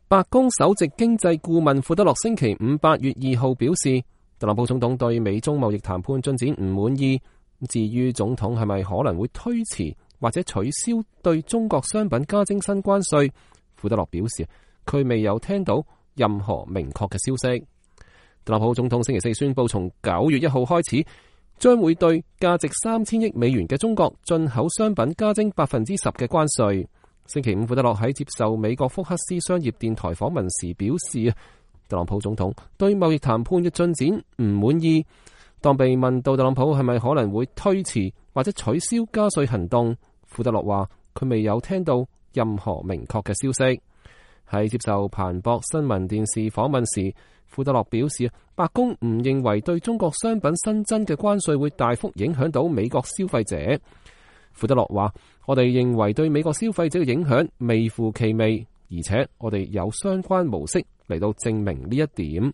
白宮首席經濟顧問庫德洛星期五8月2號表示，特朗普總統對美中貿易談判進展唔滿意。至於總統係咪可能會推遲或者取消對中國商品加徵新關稅，庫德洛表示佢未有聽到任何明確嘅消息。特朗普總統星期四宣布，從9月1號開始，將會對價值3000億美元嘅中國進口商品加徵10%嘅關稅。星期五，庫德洛喺接受美國福克斯商業電台訪問時表示，特朗普總統對貿易談判嘅進展唔滿意。當被問到特朗普係咪可能會推遲或者取消加稅行動，庫德洛話佢未有聽到任何明確嘅消息。喺接受彭博新聞電視訪問時，庫德洛表示，白宮唔認為對中國商品新增嘅關稅會大幅影響到美國消費者。庫德洛話，我哋認為對美國消費者嘅影響微乎其微，而且我哋有相關模式嚟到證明呢一點。